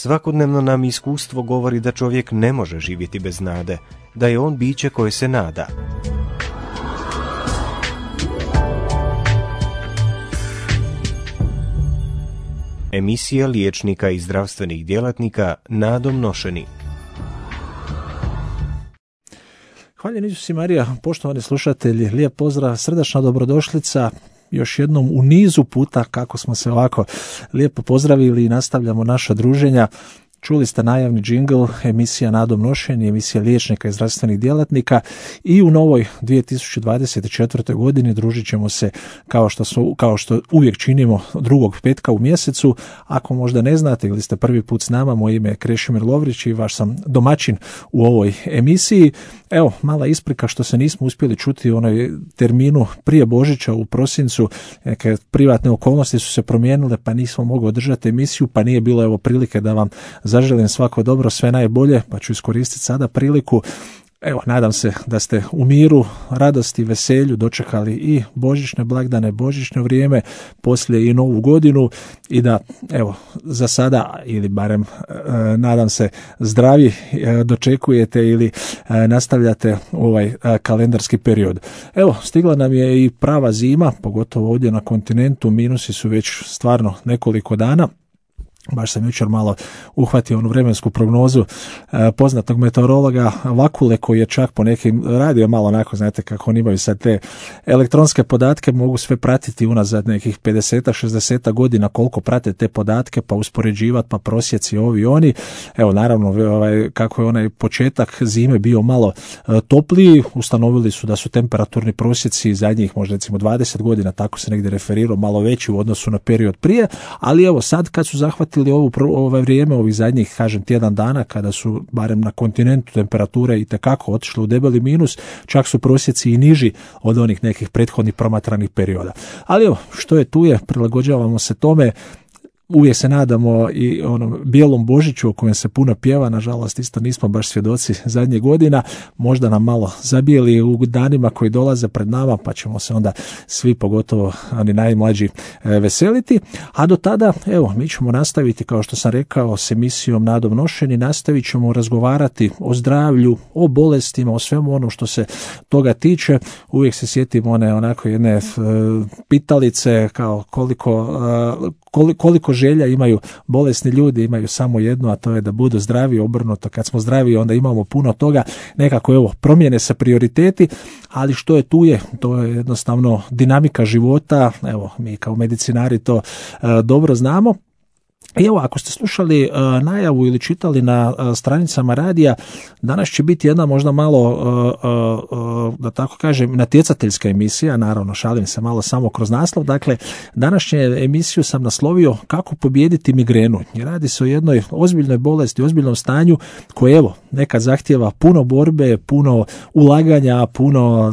Svakodnevno nam iskustvo govori da čovjek ne može živjeti bez nade, da je on biće koje se nada. Emisija liječnika i zdravstvenih djelatnika nadom nošeni. Hvala Isus i Marija, poštovani slušatelji, lijep pozdrav, srdačna dobrodošlica još jednom u nizu puta kako smo se ovako lijepo pozdravili i nastavljamo naša druženja. Čuli ste najavni džingl, emisija Nadom nošeni, emisija liječnika i zdravstvenih djelatnika i u novoj 2024. godini družit ćemo se kao što uvijek činimo drugog petka u mjesecu. Ako možda ne znate ili ste prvi put s nama, moje ime je Krešimir Lovrić i vaš sam domaćin u ovoj emisiji. Evo, mala isprika što se nismo uspjeli čuti u onoj terminu prije Božića u prosincu, neke privatne okolnosti su se promijenile pa nismo mogli održati emisiju, pa nije bilo prilike da vam zaželim svako dobro, sve najbolje, pa ću iskoristiti sada priliku. Evo, nadam se da ste u miru, radosti, veselju dočekali i božićne blagdane, božićno vrijeme, poslije i novu godinu i da, evo, za sada ili barem nadam se zdravi dočekujete ili nastavljate ovaj kalendarski period. Evo, stigla nam je i prava zima, pogotovo ovdje na kontinentu, minusi su već stvarno nekoliko dana. Baš sam jučer malo uhvatio onu vremensku prognozu poznatog meteorologa Vakule, koji je čak po nekim radio malo onako, znate kako oni imaju sad te elektronske podatke, mogu sve pratiti unazad nekih 50-60 godina koliko prate te podatke, pa uspoređivati, pa prosjeci ovi oni. Evo, naravno, kako je onaj početak zime bio malo topliji, ustanovili su da su temperaturni prosjeci zadnjih možda recimo 20 godina, tako se negdje referirao, malo veći u odnosu na period prije, ali evo sad kad su zahvatili ovo vrijeme, ovih zadnjih, kažem, tjedan dana, kada su, barem na kontinentu, temperature itekako otišle u debeli minus, čak su prosjeci i niži od onih nekih prethodnih promatranih perioda. Ali evo, što je tu je, prilagođavamo se tome. Uvijek se nadamo i onom bijelom Božiću o kojem se puno pjeva, nažalost isto nismo baš svjedoci zadnjih godina, možda nam malo zabijeli u danima koji dolaze pred nama, pa ćemo se onda svi, pogotovo oni najmlađi, veseliti. A do tada, evo, mi ćemo nastaviti, kao što sam rekao, s emisijom Nadom nošeni, nastavit ćemo razgovarati o zdravlju, o bolestima, o svemu ono što se toga tiče. Uvijek se sjetimo one onako jedne pitalice, kao koliko želja imaju bolesni ljudi, imaju samo jedno, a to je da budu zdravi, obrnuto. Kad smo zdravi, onda imamo puno toga, nekako evo, promijene se prioriteti, ali što je tu je, to je jednostavno dinamika života, evo, mi kao medicinari to dobro znamo. I evo, ako ste slušali najavu ili čitali na stranicama radija, danas će biti jedna možda malo, da tako kažem, natjecateljska emisija, naravno šalim se malo samo kroz naslov. Dakle, današnju emisiju sam naslovio Kako pobijediti migrenu. I radi se o jednoj ozbiljnoj bolesti, ozbiljnom stanju koje, evo, nekad zahtijeva puno borbe, puno ulaganja, puno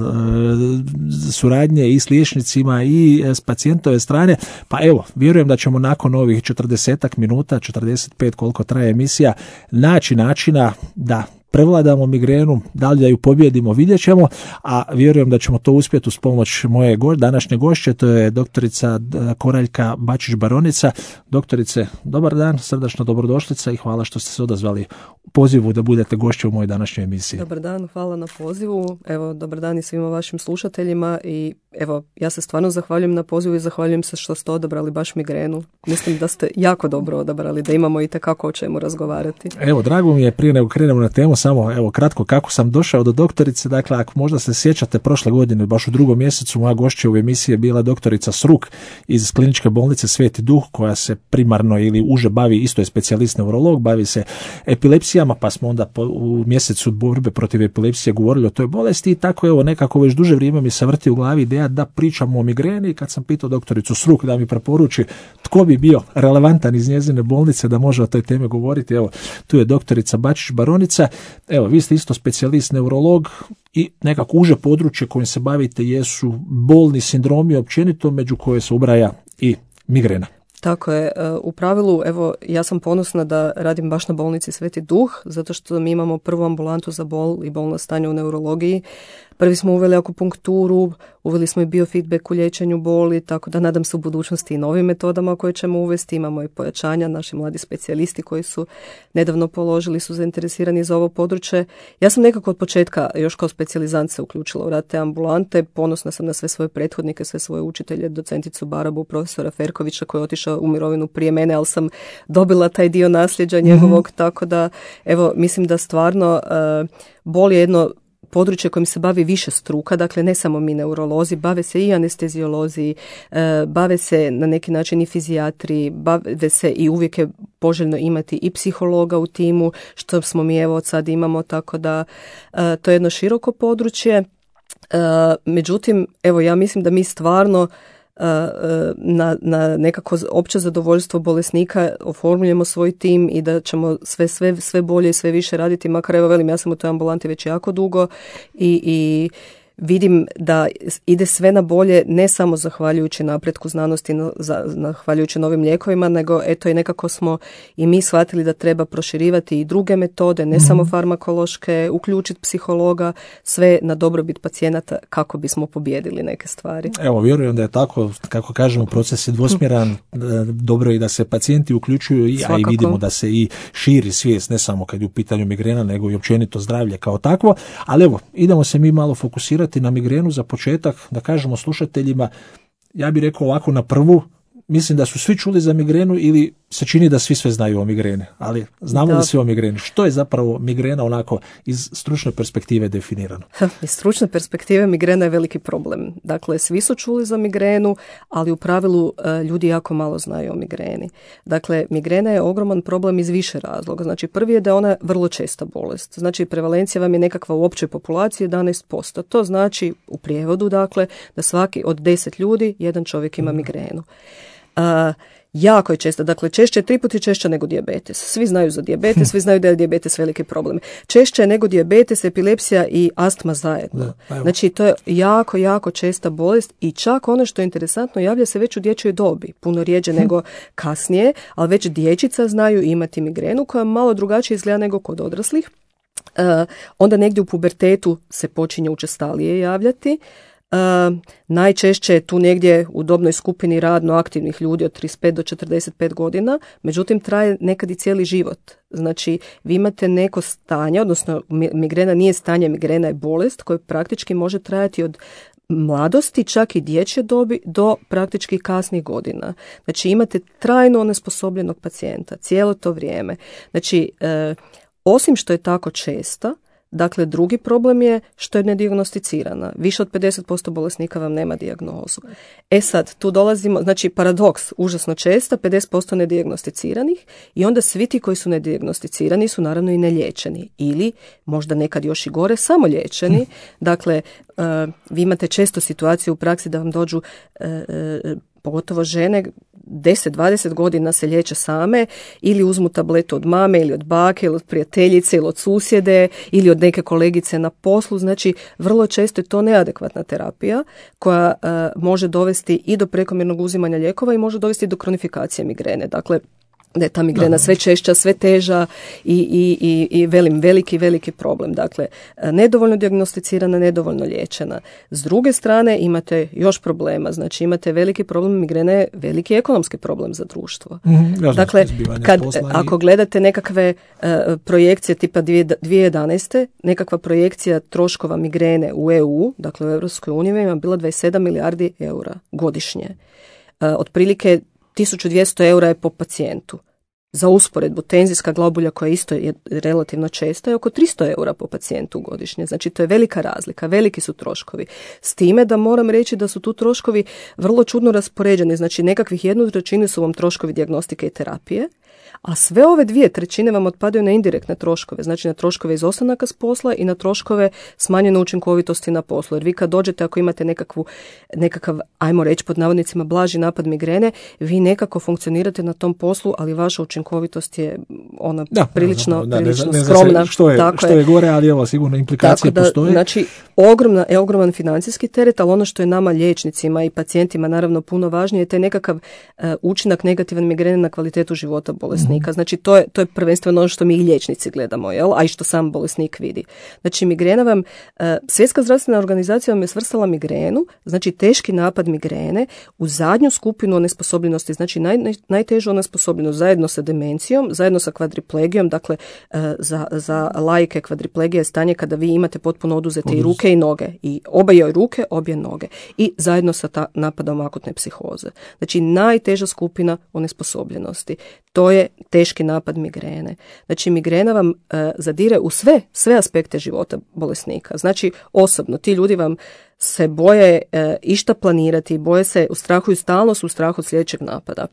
suradnje i s liječnicima i s pacijentove strane. Pa evo, vjerujem da ćemo nakon ovih 40 minuta, 45 koliko traje emisija, naći načina da prevladamo migrenu, da li da ju pobjedimo, vidjet ćemo, a vjerujem da ćemo to uspjeti uz pomoć moje današnje gošće, to je doktorica Koraljka Bačić-Baronica. Doktorice, dobar dan, srdačno dobrodošlica i hvala što ste se odazvali pozivu da budete gošće u mojoj današnjoj emisiji. Dobar dan, hvala na pozivu. Evo, dobar dan i svima vašim slušateljima i evo, ja se stvarno zahvaljujem na pozivu i zahvaljujem se što ste odabrali baš migrenu. Mislim da ste jako dobro odabrali, da imamo itekako o čemu razgovarati. Evo, drago mi je, prije nego krenemo na temu, samo evo kratko kako sam došao do doktorice. Dakle, ako možda se sjećate, prošle godine, baš u 2. mjesecu, moja gošća u emisiji je bila doktorica Sruk iz kliničke bolnice Sveti Duh, koja se primarno ili uže bavi, isto je specijalist neurolog, bavi se epilepsijama, pa smo onda u mjesecu borbe protiv epilepsije govorili o toj bolesti i tako evo nekako već duže vrijeme mi se vrti u glavi ideja da pričamo o migreni. Kad sam pitao doktoricu Sruk da mi preporuči tko bi bio relevantan iz njezine bolnice da može o toj temi govoriti, evo tu je doktorica Bačić-Baronica. Evo, vi ste isto specijalist neurolog i nekako uže područje kojim se bavite jesu bolni sindromi općenito, među koje se ubraja i migrena. Tako je. U pravilu, evo, ja sam ponosna da radim baš na bolnici Sveti Duh, zato što mi imamo prvu ambulantu za bol i bolna stanja u neurologiji. Prvi smo uveli akupunkturu, uveli smo i biofeedback u liječenju boli, tako da nadam se u budućnosti i novim metodama koje ćemo uvesti. Imamo i pojačanja, naši mladi specijalisti koji su nedavno položili, su zainteresirani za ovo područje. Ja sam nekako od početka još kao specijalizant se uključila u rad te ambulante, ponosna sam na sve svoje prethodnike, sve svoje učitelje, docenticu Barabu, profesora Ferkovića koji je otišao u mirovinu prije mene, ali sam dobila taj dio nasljeđa njegovog, tako da evo, mislim da stvarno bol je jedno područje kojim se bavi više struka, dakle ne samo mi neurolozi, bave se i anestezijolozi, bave se na neki način i fizijatri, bave se i uvijek je poželjno imati i psihologa u timu, što smo mi evo sad imamo, tako da to je jedno široko područje. Međutim, evo ja mislim da mi stvarno na nekako opće zadovoljstvo bolesnika oformljujemo svoj tim i da ćemo sve bolje i sve više raditi, makar evo velim, ja sam u toj ambulanti već jako dugo i vidim da ide sve na bolje, ne samo zahvaljujući napretku znanosti, zahvaljujući novim lijekovima, nego eto i nekako smo i mi shvatili da treba proširivati i druge metode, ne samo farmakološke, uključiti psihologa, sve na dobrobit pacijenata kako bismo pobijedili neke stvari. Evo, vjerujem da je tako, kako kažemo, proces je dvosmjeran, dobro je da se pacijenti uključuju, a i vidimo da se i širi svijest, ne samo kad je u pitanju migrena, nego i općenito zdravlje kao takvo, ali evo, idemo se mi malo fokusirati na migrenu za početak, da kažemo slušateljima, ja bih rekao ovako na prvu, mislim da su svi čuli za migrenu ili se čini da svi sve znaju o migreni, ali znamo da svi o migreni. Što je zapravo migrena onako iz stručne perspektive definirano? Iz stručne perspektive migrena je veliki problem. Dakle, svi su čuli za migrenu, ali u pravilu ljudi jako malo znaju o migreni. Dakle, migrena je ogroman problem iz više razloga. Znači, prvi je da je ona vrlo česta bolest. Znači, prevalencija vam je nekakva u općoj populaciji 11%. To znači, u prijevodu, dakle, da svaki od 10 ljudi, jedan čovjek ima migrenu. Jako je česta, dakle češće je 3 puta češće nego dijabetes. Svi znaju za dijabetes, svi znaju da je dijabetes veliki problem. Češće je nego dijabetes, epilepsija i astma zajedno. Znači to je jako, jako česta bolest i čak ono što je interesantno, javlja se već u dječjoj dobi, puno rijeđe nego kasnije, ali već dječica znaju imati migrenu koja malo drugačije izgleda nego kod odraslih. Onda negdje u pubertetu se počinje učestalije javljati. Najčešće je tu negdje u dobnoj skupini radno aktivnih ljudi od 35 do 45 godina, međutim traje nekad i cijeli život. Znači vi imate neko stanje, odnosno migrena nije stanje, migrena je bolest koja praktički može trajati od mladosti, čak i dječje dobi do praktički kasnih godina. Znači imate trajno onesposobljenog pacijenta cijelo to vrijeme. Znači osim što je tako česta, dakle, drugi problem je što je nedijagnosticirana. Više od 50% bolesnika vam nema dijagnozu. E sad, tu dolazimo, znači paradoks, užasno česta, 50% nedijagnosticiranih i onda svi ti koji su nedijagnosticirani su naravno i neliječeni. Ili, možda nekad još i gore, samo liječeni. Dakle, vi imate često situaciju u praksi da vam dođu pogotovo žene 10-20 godina se liječe same ili uzmu tabletu od mame ili od bake ili od prijateljice ili od susjede ili od neke kolegice na poslu. Znači vrlo često je to neadekvatna terapija koja može dovesti i do prekomjernog uzimanja lijekova i može dovesti do kronifikacije migrene. Dakle, da je ta migrena sve češća, sve teža i veliki problem. Dakle, nedovoljno dijagnosticirana, nedovoljno liječena. S druge strane imate još problema. Znači imate veliki problem, migrena je veliki ekonomski problem za društvo. Dakle, ako gledate nekakve projekcije tipa 2011. nekakva projekcija troškova migrene u EU, dakle u Europskoj uniji, ima bila 27 milijardi eura godišnje. Otprilike 1200 eura je po pacijentu. Za usporedbu, tenzijska globulja koja isto je relativno česta je oko 300 eura po pacijentu godišnje. Znači to je velika razlika, veliki su troškovi. S time da moram reći da su tu troškovi vrlo čudno raspoređeni. Znači nekakvih 1/3 su vam troškovi dijagnostike i terapije, a sve ove 2/3 vam otpadaju na indirektne troškove, znači na troškove izostanaka s posla i na troškove smanjene učinkovitosti na poslu. Jer vi kad dođete, ako imate nekakav, ajmo reći pod navodnicima, blaži napad migrene, vi nekako funkcionirate na tom poslu, ali vaša učinkovitost je ona prilično skromna. Što je gore, ali evo sigurno implikacije postoje. Znači, ogroman financijski teret, ali ono što je nama liječnicima i pacijentima naravno puno važnije je taj nekakav učinak negativan migrene na kvalitetu života bolesnika. bolesnika. Znači to je prvenstveno ono što mi i liječnici gledamo, jel? A i što sam bolesnik vidi. Znači migrena vam, Svjetska zdravstvena organizacija vam je svrstala migrenu, znači teški napad migrene u zadnju skupinu onesposobljenosti, znači najtežu onesposobljenost zajedno sa demencijom, zajedno sa kvadriplegijom, dakle za laike kvadriplegija je stanje kada vi imate potpuno oduzete i ruke i noge, i obje ruke, obje noge, i zajedno sa napadom akutne psihoze. Znači najteža skupina onesposobljenosti. To je teški napad migrene. Znači migrena vam zadire u sve aspekte života bolesnika. Znači osobno, ti ljudi vam se boje išta planirati, boje se, ustrahuju, stalno su u strahu od sljedećeg napada.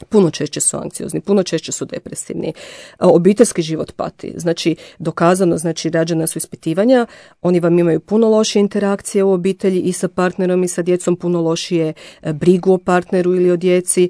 Puno češće su anksiozni, puno češće su depresivni. Obiteljski život pati. Znači, dokazano, znači, rađena su ispitivanja, oni vam imaju puno lošije interakcije u obitelji i sa partnerom i sa djecom, puno lošije brigu o partneru ili o djeci.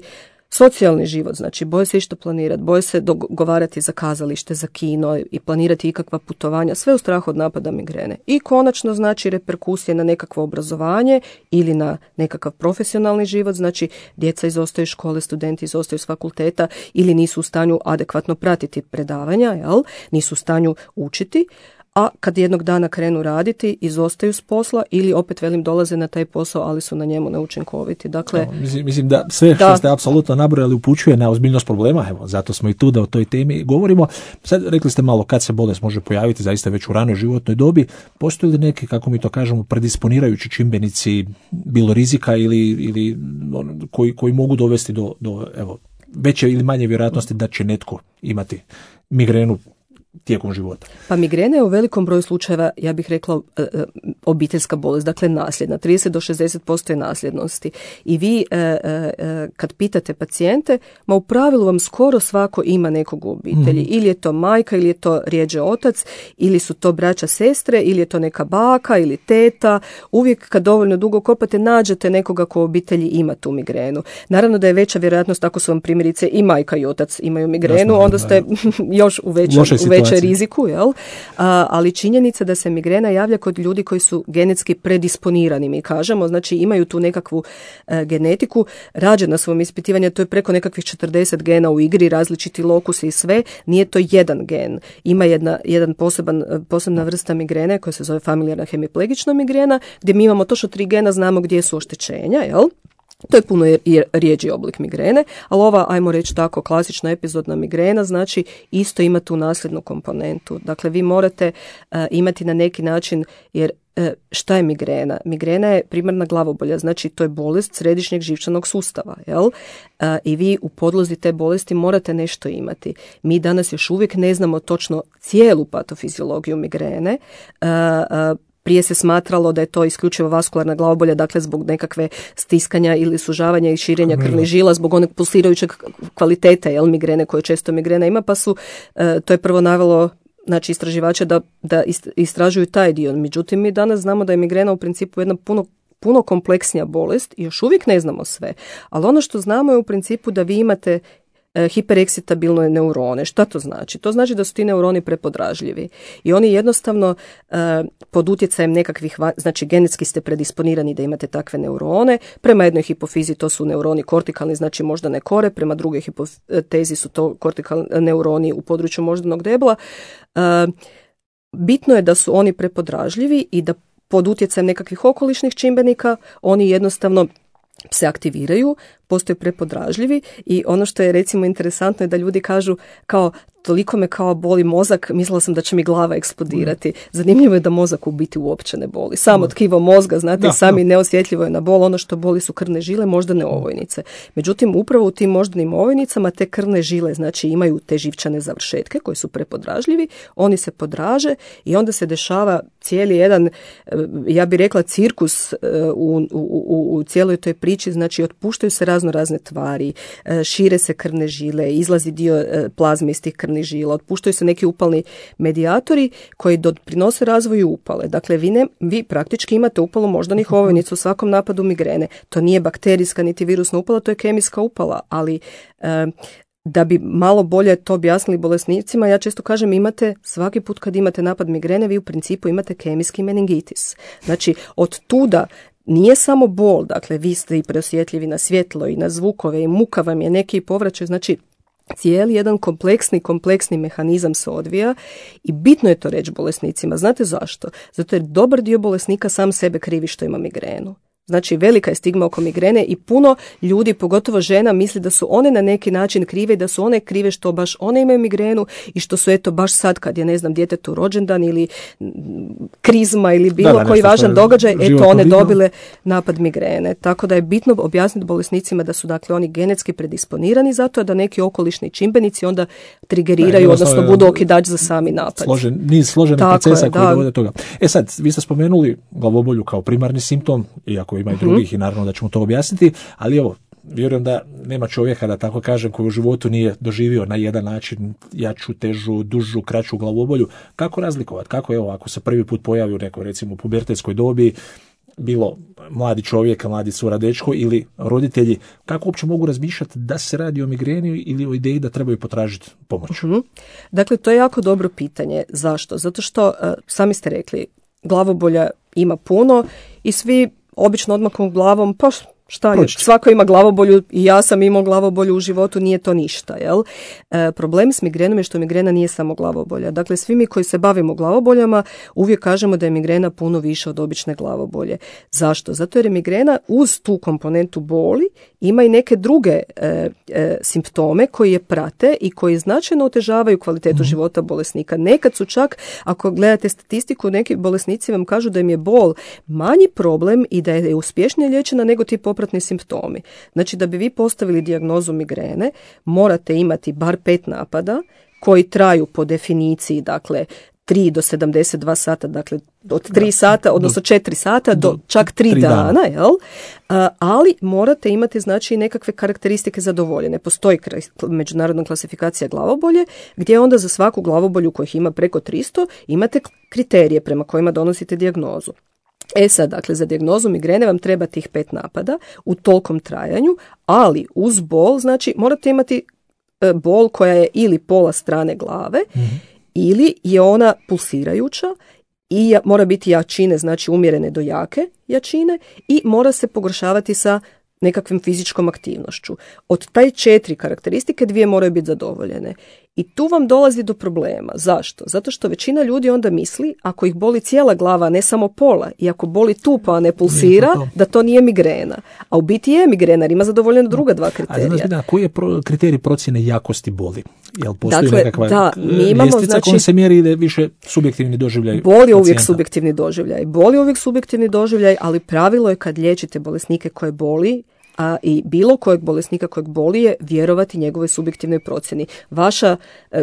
Socijalni život, znači boje se išta planirati, boje se dogovarati za kazalište, za kino i planirati ikakva putovanja, sve u strahu od napada migrene. I konačno znači reperkusije na nekakvo obrazovanje ili na nekakav profesionalni život, znači djeca izostaju iz škole, studenti izostaju iz fakulteta ili nisu u stanju adekvatno pratiti predavanja, jel? Nisu u stanju učiti. A kad jednog dana krenu raditi, izostaju s posla ili opet dolaze na taj posao, ali su na njemu neučinkoviti. Dakle, mislim da sve što ste apsolutno nabrojali upućuje na ozbiljnost problema, evo, zato smo i tu da o toj temi govorimo. Sad rekli ste malo kad se bolest može pojaviti, zaista već u ranoj životnoj dobi. Postoje li neki, kako mi to kažemo, predisponirajući čimbenici, bilo rizika ili koji mogu dovesti do evo, veće ili manje vjerojatnosti da će netko imati migrenu tijekom života? Pa migrena je u velikom broju slučajeva, ja bih rekla, obiteljska bolest, dakle nasljedna. 30 do 60% je nasljednosti. I vi kad pitate pacijente, u pravilu vam skoro svako ima nekog u obitelji. Ili je to majka, ili je to rjeđe otac, ili su to braća, sestre, ili je to neka baka ili teta. Uvijek kad dovoljno dugo kopate, nađete nekoga ko u obitelji ima tu migrenu. Naravno da je veća vjerojatnost ako su vam primjerice i majka i otac imaju migrenu, onda ste još u većoj riziku, jel? Ali činjenica da se migrena javlja kod ljudi koji su genetski predisponirani, mi kažemo, znači imaju tu nekakvu genetiku. Rađena su vam ispitivanja, to je preko nekakvih 40 gena u igri, različiti lokusi i sve, nije to jedan gen. Ima jedan posebna vrsta migrene koja se zove familijarna hemiplegična migrena, gdje mi imamo točno 3 gena, znamo gdje su oštećenja, jel? To je puno rijeđi oblik migrene, ali ova, ajmo reći tako, klasična epizodna migrena, znači isto ima tu nasljednu komponentu. Dakle, vi morate imati na neki način, jer šta je migrena? Migrena je primarna glavobolja, znači to je bolest središnjeg živčanog sustava, jel? I vi u podlozi te bolesti morate nešto imati. Mi danas još uvijek ne znamo točno cijelu patofiziologiju migrene. Prije se smatralo da je to isključivo vaskularna glavobolja, dakle zbog nekakve stiskanja ili sužavanja i širenja krvnih žila, zbog onog pulsirajućeg kvalitete, jel, migrene koje često migrena ima, pa su, to je prvo navelo, znači, istraživače da istražuju taj dio. Međutim, mi danas znamo da je migrena u principu jedna puno kompleksnija bolest i još uvijek ne znamo sve. Ali ono što znamo je u principu da vi imate hipereksitabilne neurone. Šta to znači? To znači da su ti neuroni prepodražljivi i oni jednostavno pod utjecajem nekakvih, znači genetski ste predisponirani da imate takve neurone. Prema jednoj hipofizi to su neuroni kortikalni, znači moždane kore, prema drugoj hipotezi su to kortikalni neuroni u području moždanog debla. Bitno je da su oni prepodražljivi i da pod utjecajem nekakvih okolišnih čimbenika oni jednostavno se aktiviraju, postaju prepodražljivi i ono što je recimo interesantno je da ljudi kažu kao toliko me kao boli mozak, mislila sam da će mi glava eksplodirati. Zanimljivo je da mozak u biti uopće ne boli. Samo tkivo mozga, znate, sami neosjetljivo je na bol, ono što boli su krvne žile, moždane ovojnice. Međutim, upravo u tim moždanim ovojnicama te krvne žile, znači imaju te živčane završetke koji su prepodražljivi, oni se podraže i onda se dešava cijeli jedan, ja bih rekla, cirkus u cijeloj toj priči, znači otpuštaju se razne tvari, šire se krvne žile, izlazi dio plazme iz tih krvnih žila, otpuštaju se neki upalni medijatori koji doprinose razvoju upale. Dakle, vi praktički imate upalu moždanih ovojnica u svakom napadu migrene. To nije bakterijska niti virusna upala, to je kemijska upala, ali da bi malo bolje to objasnili bolesnicima, ja često kažem, imate, svaki put kad imate napad migrene, vi u principu imate kemijski meningitis. Znači, od tuda nije samo bol, dakle, vi ste i preosjetljivi na svjetlo i na zvukove i muka vam je neki povraćaj, znači, cijeli jedan kompleksni mehanizam se odvija i bitno je to reći bolesnicima. Znate zašto? Zato jer dobar dio bolesnika sam sebe krivi što ima migrenu. Znači, velika je stigma oko migrene i puno ljudi, pogotovo žena, misli da su one na neki način krive i da su one krive što baš one imaju migrenu i što su eto baš sad kad je, ne znam, djetetu rođendan ili krizma ili bilo koji važan događaj, eto one dobile napad migrene. Tako da je bitno objasniti bolesnicima da su dakle oni genetski predisponirani zato da neki okolišni čimbenici onda trigeriraju, odnosno budu okidač za sami napad. Niz složenih procesa koji dovode do toga. Sad, vi ste spomenuli glavobolju kao primarni simptom, iako ima i drugih i naravno da ćemo to objasniti, ali evo, vjerujem da nema čovjeka, da tako kažem, koji u životu nije doživio na jedan način jaču, težu, dužu, kraću glavobolju. Kako razlikovati? Kako, evo, ako se prvi put pojavi u nekoj, recimo, pubertetskoj dobi, bilo mladi čovjek, mladi cura, dečko ili roditelji, kako uopće mogu razmišljati da se radi o migreni ili o ideji da trebaju potražiti pomoć? Dakle, to je jako dobro pitanje. Zašto? Zato što, sami ste rekli, glavobolja ima puno i svi obično odmakom glavom, pa šta još, svako ima glavobolju i ja sam imao glavobolju u životu, nije to ništa, jel? Problem s migrenom je što migrena nije samo glavobolja. Dakle, svi mi koji se bavimo glavoboljama uvijek kažemo da je migrena puno više od obične glavobolje. Zašto? Zato jer je migrena uz tu komponentu boli ima i neke druge simptome koji je prate i koji značajno otežavaju kvalitetu života bolesnika. Nekad su čak, ako gledate statistiku, neki bolesnici vam kažu da im je bol manji problem i da je uspješnije liječena nego ti popratni simptomi. Znači, da bi vi postavili dijagnozu migrene, morate imati bar 5 napada koji traju po definiciji, dakle, 3 do 72 sata, dakle od 3 sata, odnosno 4 sata do čak 3 dana, jel? Ali morate imati, znači, nekakve karakteristike zadovoljene. Postoji međunarodna klasifikacija glavobolje, gdje onda za svaku glavobolju kojih ima preko 300 imate kriterije prema kojima donosite dijagnozu. Sad, dakle, za dijagnozu migrene vam treba tih 5 napada u tolkom trajanju, ali uz bol, znači, morate imati bol koja je ili pola strane glave, ili je ona pulsirajuća i mora biti jačine, znači umjerene do jake jačine i mora se pogoršavati sa nekakvim fizičkom aktivnošću. Od taj 4 karakteristike 2 moraju biti zadovoljene. I tu vam dolazi do problema. Zašto? Zato što većina ljudi onda misli, ako ih boli cijela glava, a ne samo pola, i ako boli tu pa a ne pulsira, da to nije migrena. A u biti je migrena, jer ima zadovoljeno druga 2 kriterija. A znači, koji je kriterij procjene jakosti boli? Jel postoji dakle, nekakva imamo, ljestvica kojom se mjeri ili više subjektivni doživljaj? Bol je uvijek subjektivni doživljaj, ali pravilo je kad liječite bolesnike koje boli, i bilo kojeg bolesnika kojeg boli je vjerovati njegovoj subjektivnoj procjeni.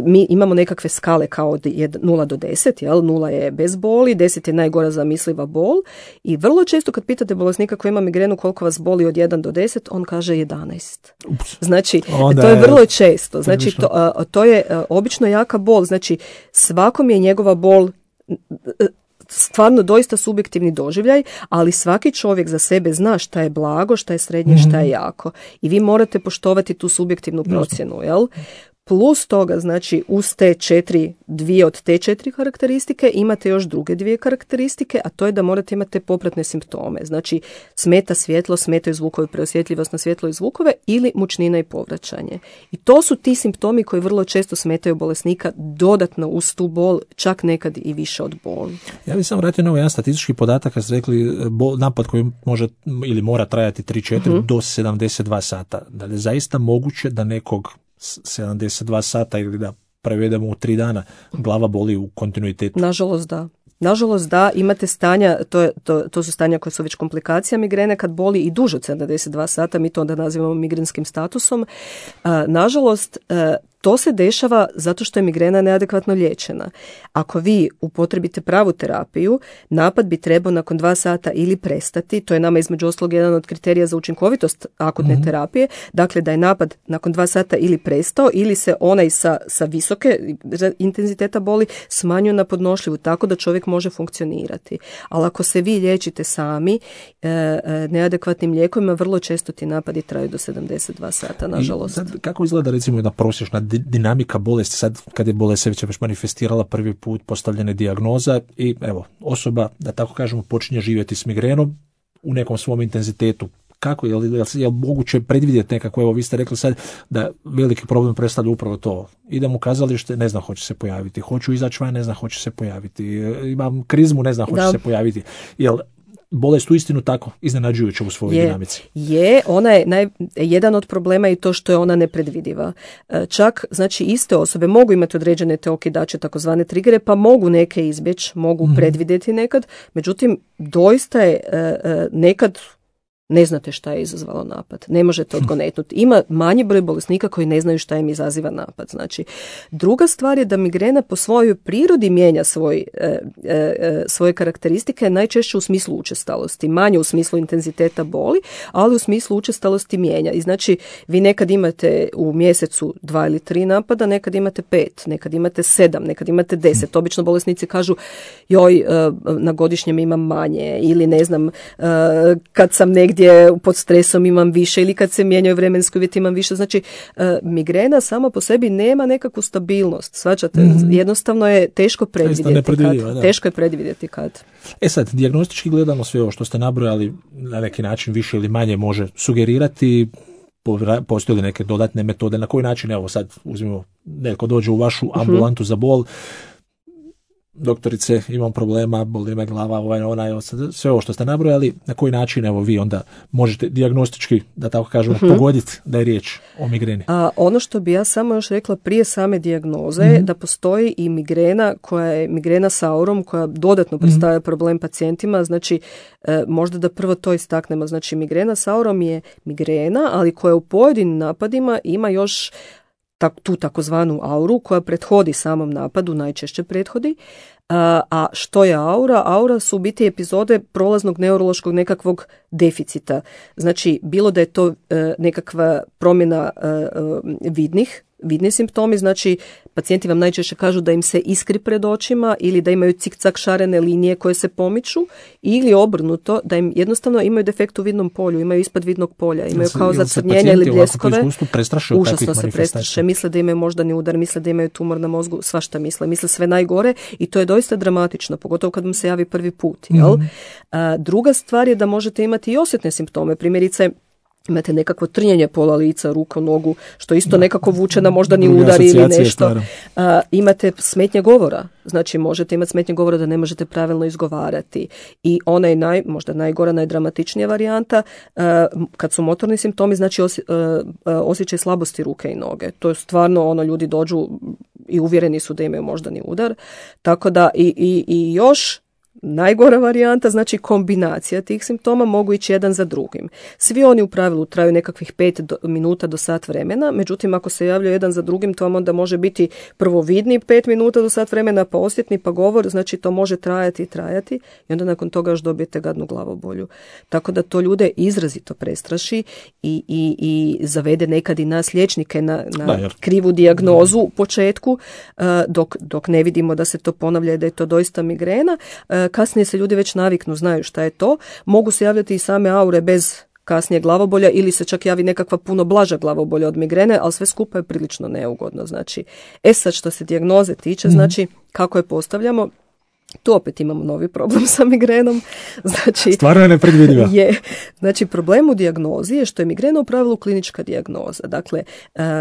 Mi imamo nekakve skale kao od 0 do 10, jel? 0 je bez boli, 10 je najgora zamisliva bol i vrlo često kad pitate bolesnika koji ima migrenu koliko vas boli od 1 do 10, on kaže 11. Znači, to je vrlo često. Znači, to je obično jaka bol. Znači, svakom je njegova bol stvarno doista subjektivni doživljaj, ali svaki čovjek za sebe zna šta je blago, šta je srednje, šta je jako. I vi morate poštovati tu subjektivnu procjenu, jel? Plus toga, znači, uz te 2 od te 4 karakteristike imate još druge 2 karakteristike, a to je da morate imati popratne simptome. Znači, smeta svjetlo, smetaju zvukovi, preosjetljivost na svjetlo i zvukove ili mučnina i povraćanje. I to su ti simptomi koji vrlo često smetaju bolesnika dodatno uz tu bol, čak nekad i više od boli. Ja bih samo vratio na ovaj jedan statistički podatak, kad ste rekli napad koji može ili mora trajati 3-4 do 72 sata. Da li je zaista moguće da nekog 72 sata ili da prevedemo u 3 dana glava boli u kontinuitetu? Nažalost da, imate stanja, to su stanja koje su već komplikacija migrene, kad boli i duže od 72 sata, mi to onda nazivamo migrenskim statusom. Nažalost, to se dešava zato što je migrena neadekvatno liječena. Ako vi upotrebite pravu terapiju, napad bi trebao nakon 2 sata ili prestati, to je nama između ostalog jedan od kriterija za učinkovitost akutne terapije, dakle da je napad nakon 2 sata ili prestao ili se onaj sa visoke intenziteta boli smanjuje na podnošljivu, tako da čovjek može funkcionirati. Ali ako se vi liječite sami neadekvatnim lijekovima, vrlo često ti napadi traju do 72 sata, nažalost. Sad, kako izgleda recimo jedna prosječna dinamika bolesti, sad kad je bolest se već manifestirala prvi put, postavljena dijagnoza i evo, osoba, da tako kažemo, počinje živjeti s migrenom u nekom svom intenzitetu. kako, je moguće predvidjeti nekako, evo vi ste rekli sad da veliki problem predstavlja upravo to. Idem u kazalište, ne znam hoće se pojaviti, hoću izaći van, ne znam hoće se pojaviti, imam krizmu, ne znam hoće se pojaviti. Jel bolest uistinu tako iznenađujuća u svojoj dinamici? Ona je jedan od problema i to što je ona nepredvidiva. Čak, znači, iste osobe mogu imati određene te okidače, takozvane trigere, pa mogu neke izbjeći, mogu predvidjeti nekad, međutim, doista je nekad ne znate šta je izazvalo napad. Ne možete odgonetnuti. Ima manji broj bolesnika koji ne znaju šta im izaziva napad. Znači, druga stvar je da migrena po svojoj prirodi mijenja svoje karakteristike, najčešće u smislu učestalosti. Manje u smislu intenziteta boli, ali u smislu učestalosti mijenja. I znači, vi nekad imate u mjesecu 2 ili 3 napada, nekad imate 5, nekad imate 7, nekad imate 10. Obično bolesnici kažu, joj, na godišnjem imam manje, ili ne znam, kad sam negdje pod stresom imam više, ili kad se mijenjaju vremenski uvjeti imam više. Znači, migrena sama po sebi nema nekakvu stabilnost. Svačate, jednostavno je teško predvidjeti. Teško je predvidjeti kad. Sad, dijagnostički gledano sve ovo što ste nabrojali na neki način više ili manje može sugerirati. Postoje li neke dodatne metode? Na koji način, evo sad uzmimo, neko dođe u vašu ambulantu za bol, doktorice, imam problema, boli me glava, sve ovo što ste nabrojali, na koji način evo vi onda možete dijagnostički, da tako kažemo, pogoditi da je riječ o migreni? Ono što bi ja samo još rekla prije same dijagnoze, da postoji i migrena koja je migrena sa aurom, koja dodatno predstavlja problem pacijentima. Znači, možda da prvo to istaknemo. Znači, migrena sa aurom je migrena, ali koja u pojedinim napadima ima još tu takozvanu auru koja prethodi samom napadu, najčešće prethodi. A što je aura? Aura su u biti epizode prolaznog neurološkog nekakvog deficita. Znači, bilo da je to nekakva promjena vidni simptomi, znači pacijenti vam najčešće kažu da im se iskri pred očima ili da imaju cik-cak šarene linije koje se pomiču, ili obrnuto, da im jednostavno imaju defekt u vidnom polju, imaju ispod vidnog polja, imaju kao zacrnjenja ili bljeskove. Užasno se prestraše, misle da imaju moždani udar, misle da imaju tumor na mozgu, svašta misle sve najgore i to je doista dramatično, pogotovo kad vam se javi prvi put. Jel? Druga stvar je da možete imati i osjetne simptome, primjerice imate nekakvo trnjenje pola lica, ruku, nogu, što isto nekako vuče na moždani udar ili nešto. Imate smetnje govora. Znači, možete imati smetnje govora da ne možete pravilno izgovarati. I ona je možda najgora, najdramatičnija varijanta. Kad su motorni simptomi, znači osjećaj slabosti ruke i noge. To je stvarno, ljudi dođu i uvjereni su da imaju moždani udar. Tako da i još najgora varijanta, znači kombinacija tih simptoma, mogu ići jedan za drugim. Svi oni u pravilu traju nekakvih 5 minuta do sat vremena, međutim ako se javljaju jedan za drugim, to vam onda može biti prvo vidni 5 minuta do sat vremena, pa osjetni, pa govor, znači to može trajati i onda nakon toga još dobijete gadnu glavobolju. Tako da to ljude izrazito prestraši i zavede nekad i nas liječnike na krivu dijagnozu u početku, dok ne vidimo da se to ponavlja i da je to doista migrena. Kasnije se ljudi već naviknu, znaju šta je to. Mogu se javljati i same aure bez kasnije glavobolja ili se čak javi nekakva puno blaža glavobolja od migrene, ali sve skupa je prilično neugodno. Znači, sad što se dijagnoze tiče, znači kako je postavljamo, tu opet imamo novi problem sa migrenom. Znači, stvarno je nepredvidiva. Znači, problem u dijagnozi je što je migrena u pravilu klinička dijagnoza. Dakle,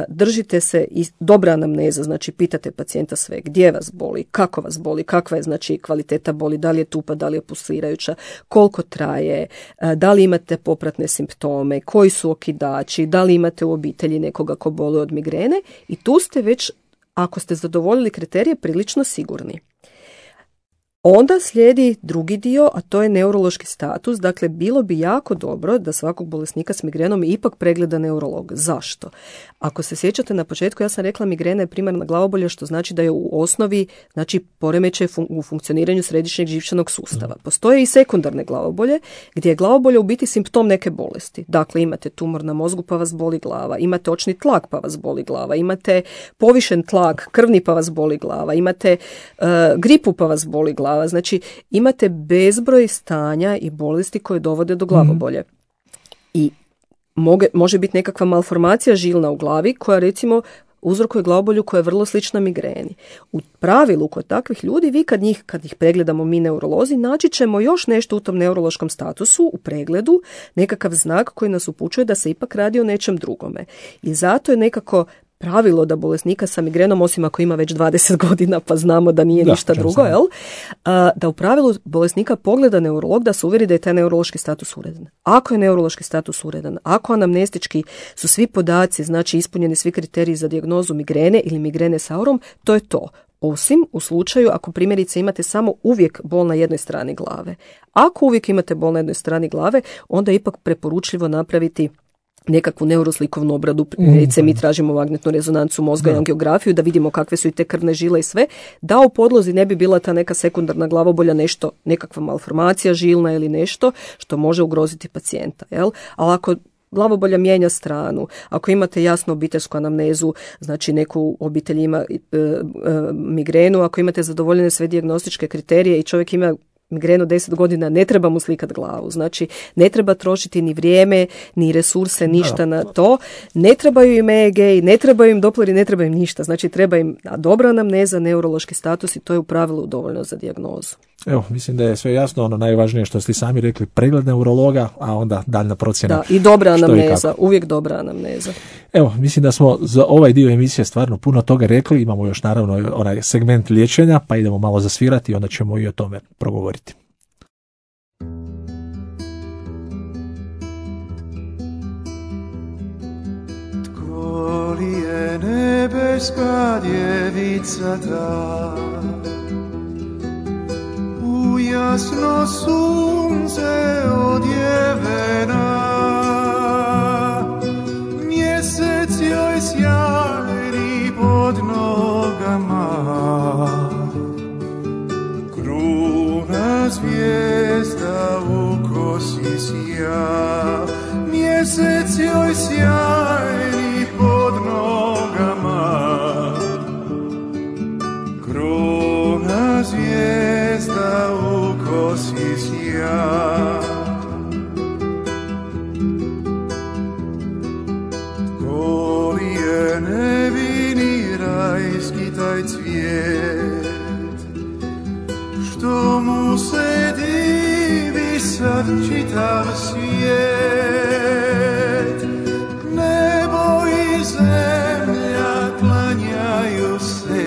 držite se i dobra anamneza, znači pitate pacijenta sve, gdje vas boli, kako vas boli, kakva je znači kvaliteta boli, da li je tupa, da li je pulsirajuća, koliko traje, da li imate popratne simptome, koji su okidači, da li imate u obitelji nekoga ko boli od migrene, i tu ste već, ako ste zadovoljili kriterije, prilično sigurni. Onda slijedi drugi dio, a to je neurološki status. Dakle, bilo bi jako dobro da svakog bolesnika s migrenom ipak pregleda neurolog. Zašto? Ako se sjećate na početku, ja sam rekla migrena je primarna glavobolja, što znači da je u osnovi poremećaj u funkcioniranju središnjeg živčanog sustava. Postoje i sekundarne glavobolje, gdje je glavobolja u biti simptom neke bolesti. Dakle, imate tumor na mozgu pa vas boli glava, imate očni tlak pa vas boli glava, imate povišen tlak krvni pa vas boli glava, imate gripu pa vas boli glava. Znači, imate bezbroj stanja i bolesti koje dovode do glavobolje. I može biti nekakva malformacija žilna u glavi koja recimo uzrokuje glavobolju koja je vrlo slična migreni. U pravilu kod takvih ljudi, vi kad ih pregledamo mi neurolozi, naći ćemo još nešto u tom neurološkom statusu, u pregledu, nekakav znak koji nas upućuje da se ipak radi o nečem drugome. I zato je nekako pravilo da bolesnika sa migrenom, osim ako ima već 20 godina pa znamo da nije ništa drugo, da u pravilu bolesnika pogleda neurolog da se uvjeri da je taj neurološki status uredan. Ako je neurološki status uredan, ako anamnestički su svi podaci, znači ispunjeni svi kriteriji za dijagnozu migrene ili migrene s aurom, to je to. Osim u slučaju ako primjerice imate samo uvijek bol na jednoj strani glave. Ako uvijek imate bol na jednoj strani glave, onda je ipak preporučljivo napraviti nekakvu neuroslikovnu obradu, recimo mi tražimo magnetnu rezonancu mozga i angiografiju da vidimo kakve su i te krvne žile i sve, da u podlozi ne bi bila ta neka sekundarna glavobolja, nešto, nekakva malformacija žilna ili nešto što može ugroziti pacijenta. Jel? Ali ako glavobolja mijenja stranu, ako imate jasnu obiteljsku anamnezu, znači neku obitelj ima migrenu, ako imate zadovoljene sve dijagnostičke kriterije i čovjek ima migrenu 10 godina, ne treba mu slikati glavu. Znači, ne treba trošiti ni vrijeme, ni resurse, ništa na to. Ne trebaju im EEG, ne trebaju im Dopleri, ne treba im ništa. Znači, treba im dobra anamneza, neurološki status i to je u pravilu dovoljno za dijagnozu. Evo, mislim da je sve jasno, ono najvažnije što ste sami rekli, pregled neurologa, a onda daljna procjena. Da, i dobra anamneza, uvijek dobra anamneza. Evo, mislim da smo za ovaj dio emisije stvarno puno toga rekli, imamo još naravno onaj segment liječenja, pa idemo malo zasvirati i onda ćemo i o tome progovoriti. Tko li je nebeska djevica ta? U jasno sunce odjevena, mjesec joj sjajni pod nogama, kruna zvijezda u kosi sja, mjesec joj sjajni pod nogama, kruna zvijezda u kosi sja. Tko li je nevini rajski taj cvijet, što mu se divi sad čitav svijet, nebo i zemlja klanjaju se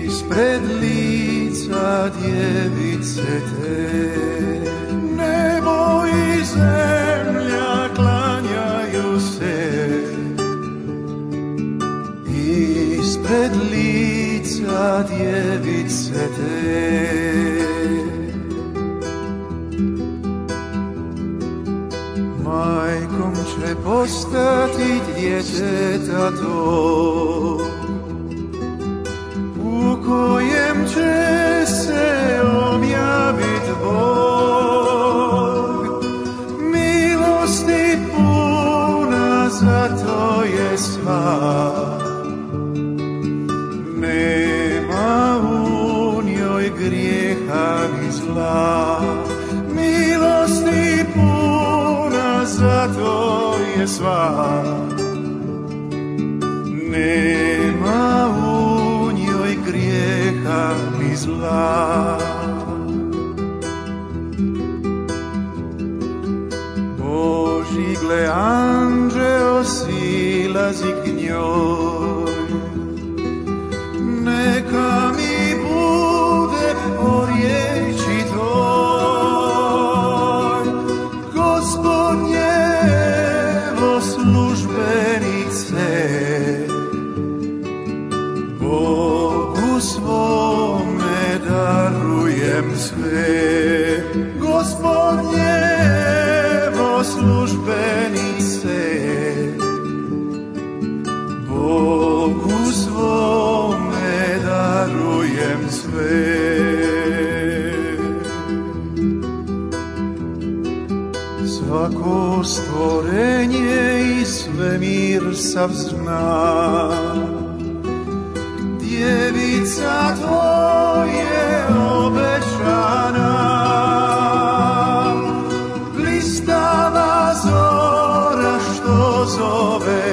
ispred lica djevice te, nebo i zemlja klanjaju se ispred lica djevice te. Majkom će postati djeteta to, u kojem će se objavit Bog, milosti puna, zato je sva, nema u njoj grijeha ni zla, milosti puna, zato je sva, nema u njoj grijeha ni zla. Božji gle anđeo silazi k njoj, neka mi bude po riječi toj, Gospodnjevo službenice, Bogu svome darujem sve, Gospodnjevo službenice, Bogu svome darujem sve. Svako stvorenje i svemir sav zna, djevica tvoje obećana, blistava zora što zove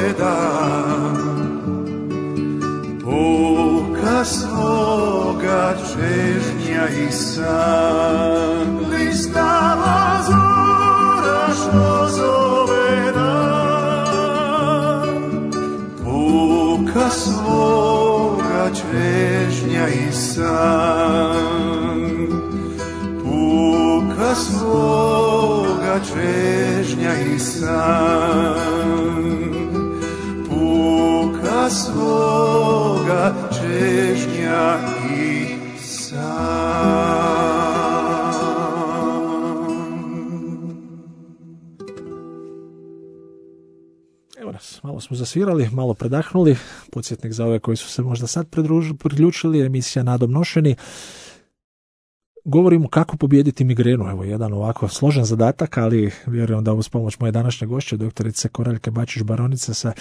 puka svoga čežnja i san. Blistava zora što zove dan, puka svoga čežnja i san, puka svoga čežnja i san, puka svoga čežnja i san. Evo nas, malo smo zasvirali, malo predahnuli. Podsjetnik za ove koji su se možda sad priključili, emisija Nadom nošeni. Govorimo kako pobijediti migrenu. Evo jedan ovako složen zadatak, ali vjerujem da uz pomoć moje današnje gošće, doktorice Koraljke Bačić-Baronice sa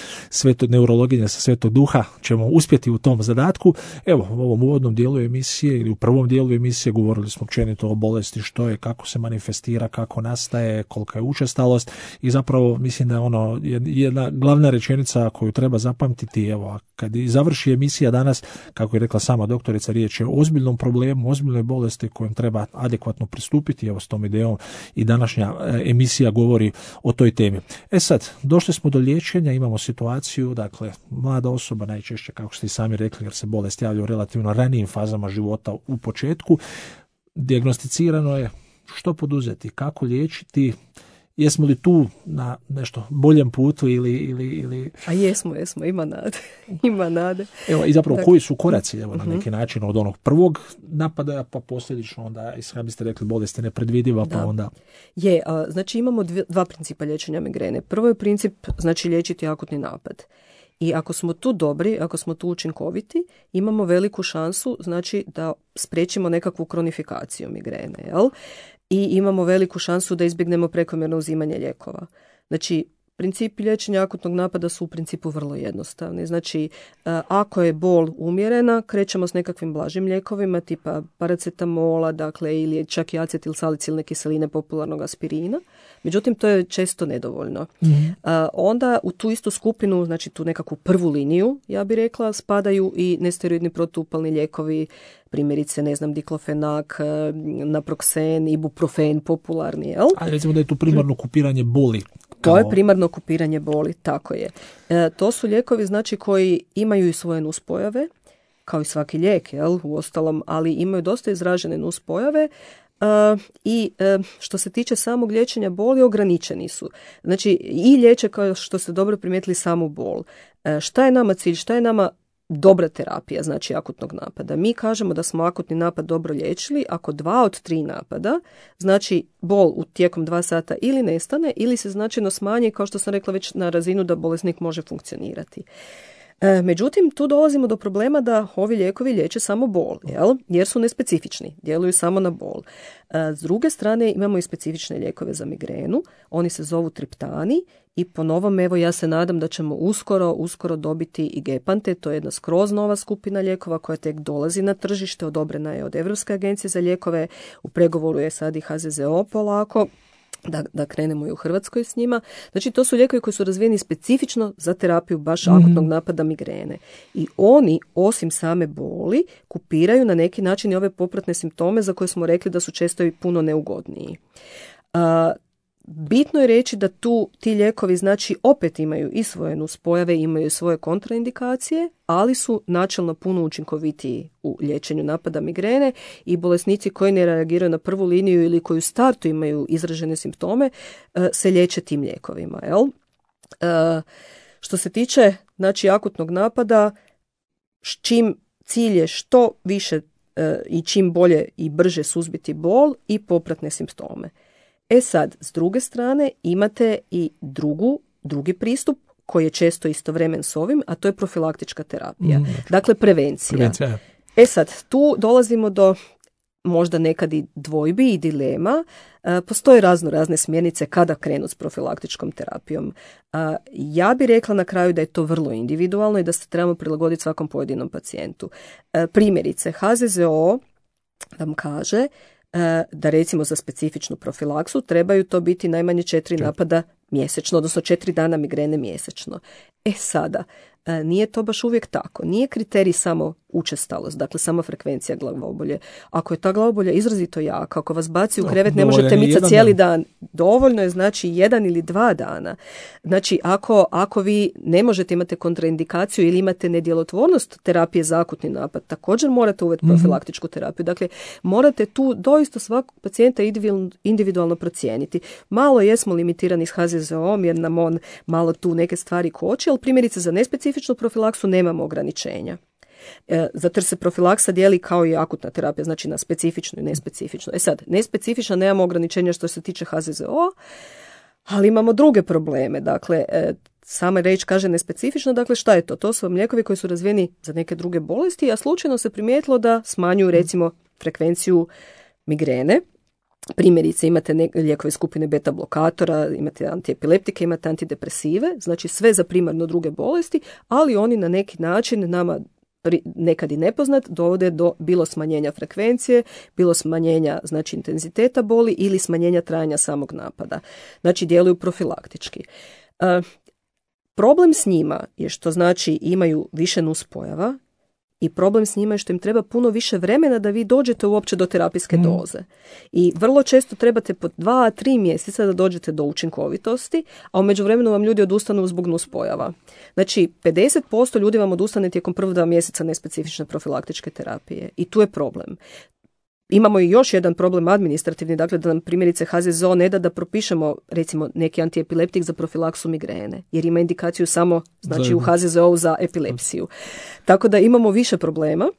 neurologinje sa Svetog Duha, ćemo uspjeti u tom zadatku. Evo, u ovom uvodnom dijelu emisije ili u prvom dijelu emisije govorili smo općenito o bolesti, što je, kako se manifestira, kako nastaje, kolika je učestalost i zapravo mislim da je ono jedna glavna rečenica koju treba zapamtiti. Evo, kad završi emisija danas, kako je rekla sama doktorica, riječ je o ozbiljnom problemu, ozbiljnoj bolesti kojom treba adekvatno pristupiti. Evo s tom idejom i današnja emisija govori o toj temi. Sad, došli smo do liječenja, imamo situaciju, dakle, mlada osoba najčešće, kako ste i sami rekli, jer se bolest javlja u relativno ranijim fazama života u početku. Dijagnosticirano je, što poduzeti, kako liječiti, jesmo li tu na nešto boljem putu ili... A jesmo, ima nade. Ima nade. Evo, i zapravo koji su koraci, evo, na neki način od onog prvog napadaja, pa posljedično onda, kako biste rekli, bolest je nepredvidiva, pa onda... Znači imamo dva principa liječenja migrene. Prvo je princip, znači liječiti akutni napad. I ako smo tu dobri, ako smo tu učinkoviti, imamo veliku šansu, znači, da spriječimo nekakvu kronifikaciju migrene, jel? I imamo veliku šansu da izbjegnemo prekomjerno uzimanje lijekova. Znači, principi liječenja akutnog napada su u principu vrlo jednostavni. Znači, ako je bol umjerena, krećemo s nekakvim blažim lijekovima, tipa paracetamola, dakle, ili čak i acetilsalicilne kiseline, popularnog aspirina. Međutim, to je često nedovoljno. Onda u tu istu skupinu, znači tu nekakvu prvu liniju, ja bih rekla, spadaju i nesteroidni protuupalni lijekovi, primjerice, diklofenak, naproksen, ibuprofen, popularni, jel? A recimo da je tu primarno kupiranje boli. To je primarno kupiranje boli, tako je. To su lijekovi, znači, koji imaju i svoje nuspojave, kao i svaki lijek, jel, uostalom, ali imaju dosta izražene nuspojave. I što se tiče samog liječenja boli, ograničeni su. Znači, i liječe, kao što ste dobro primijetili, samu bol. Šta je nama cilj, šta je nama dobra terapija, znači akutnog napada? Mi kažemo da smo akutni napad dobro liječili ako 2 od 3 napada, znači bol u tijekom 2 sata ili nestane ili se značajno smanji, kao što sam rekla, već na razinu da bolesnik može funkcionirati. Međutim, tu dolazimo do problema da ovi lijekovi liječe samo bol, jel? Jer su nespecifični, djeluju samo na bol. S druge strane, imamo i specifične lijekove za migrenu, oni se zovu triptani i po novom, evo, ja se nadam da ćemo uskoro dobiti i gepante, to je jedna skroz nova skupina lijekova koja tek dolazi na tržište, odobrena je od Europske agencije za lijekove, u pregovoru je sad i HZZO polako, da krenemo i u Hrvatskoj s njima. Znači, to su lijekovi koji su razvijeni specifično za terapiju baš akutnog napada migrene. I oni, osim same boli, kupiraju na neki način i ove popratne simptome za koje smo rekli da su često i puno neugodniji. Bitno je reći da ti lijekovi, znači, opet imaju i svoje nuspojave, imaju i svoje kontraindikacije, ali su načelno puno učinkovitiji u liječenju napada migrene i bolesnici koji ne reagiraju na prvu liniju ili koji u startu imaju izražene simptome se liječe tim lijekovima. Jel? Što se tiče, znači, akutnog napada, čim cilj je što više i čim bolje i brže suzbiti bol i popratne simptome. Sad, s druge strane, imate i drugi pristup koji je često istovremen s ovim, a to je profilaktička terapija. Dakle, prevencija. Sad, tu dolazimo do možda nekad i dvojbi i dilema. Postoje razne smjernice kada krenu s profilaktičkom terapijom. Ja bih rekla na kraju da je to vrlo individualno i da se trebamo prilagoditi svakom pojedinom pacijentu. Primjerice, HZZO vam kaže da recimo za specifičnu profilaksu trebaju to biti najmanje 4 napada mjesečno, odnosno 4 dana migrene mjesečno. Sada, nije to baš uvijek tako. Nije kriterij samo učestalost, dakle samo frekvencija glavobolje. Ako je ta glavobolja izrazito jaka, ako vas baci u krevet, ne možete micati cijeli dan. Dovoljno je znači 1 ili 2 dana. Znači ako vi ne možete imati kontraindikaciju ili imate nedjelotvornost terapije za akutni napad, također morate uvesti profilaktičku terapiju. Dakle, morate tu doista svakog pacijenta individualno procijeniti. Malo jesmo limitirani s HZZO-om jer nam on malo tu neke stvari koči, ali primjerice za nespecifičnu profilaksu nemamo ograničenja. Zato jer se profilaksa dijeli kao i akutna terapija, znači na specifičnu i nespecifičnu. Sad, nespecifična nemamo ograničenja što se tiče HZZO, ali imamo druge probleme. Dakle, sama riječ kaže nespecifično, dakle šta je to? To su vam lijekovi koji su razvijeni za neke druge bolesti, a slučajno se primijetilo da smanjuju recimo frekvenciju migrene. Primjerice imate lijekove skupine beta blokatora, imate antiepileptike, imate antidepresive, znači sve za primarno druge bolesti, ali oni na neki način nama nekad i nepoznat dovode do bilo smanjenja frekvencije, bilo smanjenja znači intenziteta boli ili smanjenja trajanja samog napada. Znači djeluju profilaktički. Problem s njima je što znači imaju više nuspojava i problem s njima je što im treba puno više vremena da vi dođete uopće do terapijske doze. I vrlo često trebate po 2-3 mjeseca da dođete do učinkovitosti, a u međuvremenu vam ljudi odustanu zbog nuspojava. Znači, 50% ljudi vam odustane tijekom prvog 2 mjeseca nespecifične profilaktičke terapije. I tu je problem. Imamo i još jedan problem administrativni, dakle da nam primjerice HZZO ne da propišemo recimo neki antiepileptik za profilaksu migrene, jer ima indikaciju samo znači u HZZO za epilepsiju. Tako da imamo više problema,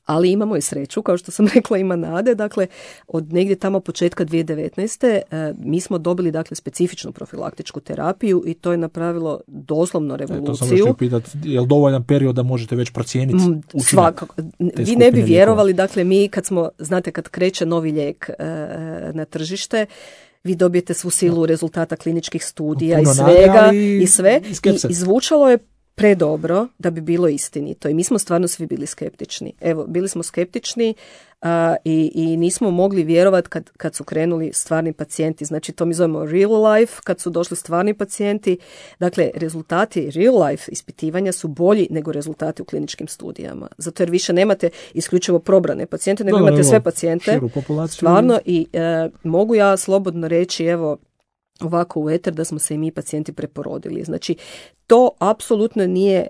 ali imamo i sreću, kao što sam rekla, ima nade. Dakle, od negdje tamo početka 2019. Mi smo dobili dakle specifičnu profilaktičku terapiju i to je napravilo doslovno revoluciju. To sam još pitati, je li dovoljan period da možete već procijeniti učinak? Svakako. Vi ne bi vjerovali, dakle mi kad kreće novi lijek na tržište, vi dobijete svu silu rezultata kliničkih studija i svega i sve. I zvučalo je predobro da bi bilo istinito i mi smo stvarno svi bili skeptični. Evo, bili smo skeptični i nismo mogli vjerovati kad su krenuli stvarni pacijenti. Znači, to mi zovemo real life, kad su došli stvarni pacijenti. Dakle, rezultati real life ispitivanja su bolji nego rezultati u kliničkim studijama. Zato jer više nemate isključivo probrane pacijente, nego imate sve pacijente. Stvarno i mogu ja slobodno reći, evo, ovako u eter da smo se i mi pacijenti preporodili. Znači, to apsolutno nije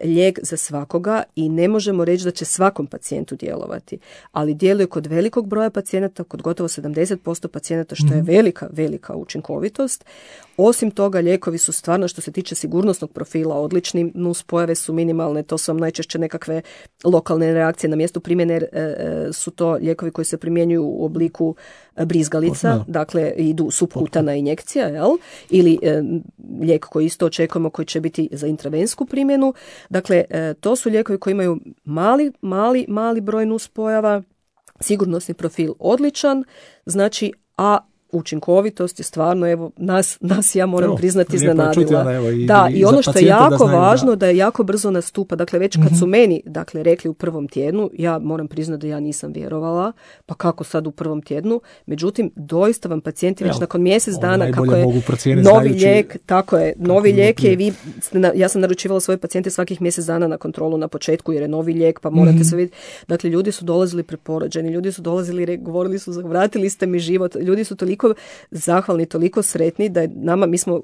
lijek za svakoga i ne možemo reći da će svakom pacijentu djelovati, ali djeluje kod velikog broja pacijenata, kod gotovo 70% pacijenata, što je velika učinkovitost. Osim toga, lijekovi su stvarno, što se tiče sigurnosnog profila, odlični, nuspojave su minimalne, to su vam najčešće nekakve lokalne reakcije na mjestu primjene, su to lijekovi koji se primjenjuju u obliku brizgalica, dakle idu subkutana injekcija, jel? Ili lijek koji isto očekujemo koji će biti za intravensku primjenu. Dakle, to su lijekovi koji imaju mali broj nuspojava, sigurnosni profil odličan, znači, a učinkovitost je stvarno, evo, nas ja moram priznati iznenadila. I ono što je jako važno, da je jako brzo nastupa. Dakle, već kad su meni rekli u prvom tjednu, ja moram priznati da ja nisam vjerovala, pa kako sad u prvom tjednu, međutim, doista vam pacijenti već nakon mjesec dana, kako je novi lijek, tako je, novi lijek je i ja sam naručivala svoje pacijente svakih mjesec dana na kontrolu na početku, jer je novi lijek, pa morate se vidjeti. Dakle, ljudi su dolazili preporođeni, ljudi su dolazili, govorili su, vratili ste mi život, ljudi su toliko zahvalni, toliko sretni da je mi smo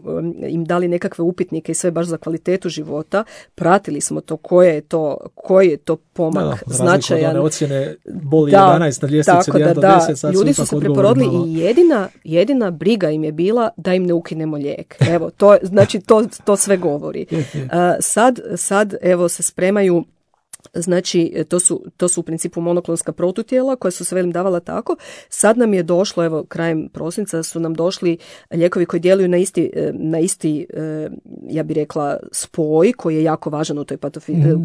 im dali nekakve upitnike i sve baš za kvalitetu života, pratili smo to koji je to pomak značajan. Ocjene boli 11 na ljestvici 1 do 10, sad ljudi su se preporodili i jedina briga im je bila da im ne ukinemo lijek. Evo, to sve govori. Sad evo se spremaju. Znači, to su u principu monoklonska protutijela koja su se davala tako. Sad nam je došlo, evo, krajem prosinca su nam došli lijekovi koji djeluju na isti ja bih rekla, spoj koji je jako važan u toj